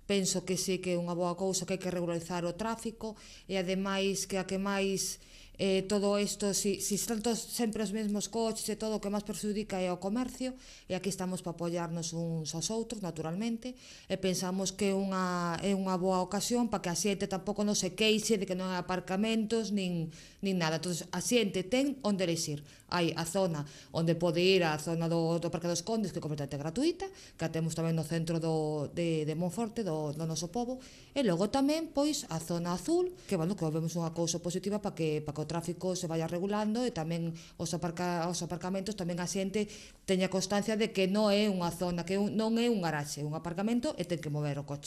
penso que sí que é unha boa cousa, que hai que regularizar o tráfico, e ademais que a que máis todo isto, si están todos sempre os mesmos coches e todo, o que máis perxudica é o comercio, e aquí estamos para apoiarnos uns aos outros, naturalmente, e pensamos que é unha boa ocasión para que a xente tampouco non se queixe de que non hai aparcamentos nin nada. Entón, a xente ten onde elixir. Hai a zona onde pode ir a zona do Parque dos Condes, que é completamente gratuita, que a temos tamén no centro de Monforte, do noso pobo, e logo tamén, pois, a zona azul, que, bueno, que vemos unha cousa positiva para que o tráfico se vaya regulando, e tamén os aparcamentos, tamén a xente teña constancia de que non é unha zona, que non é un garaxe, é un aparcamento, e ten que mover o coche.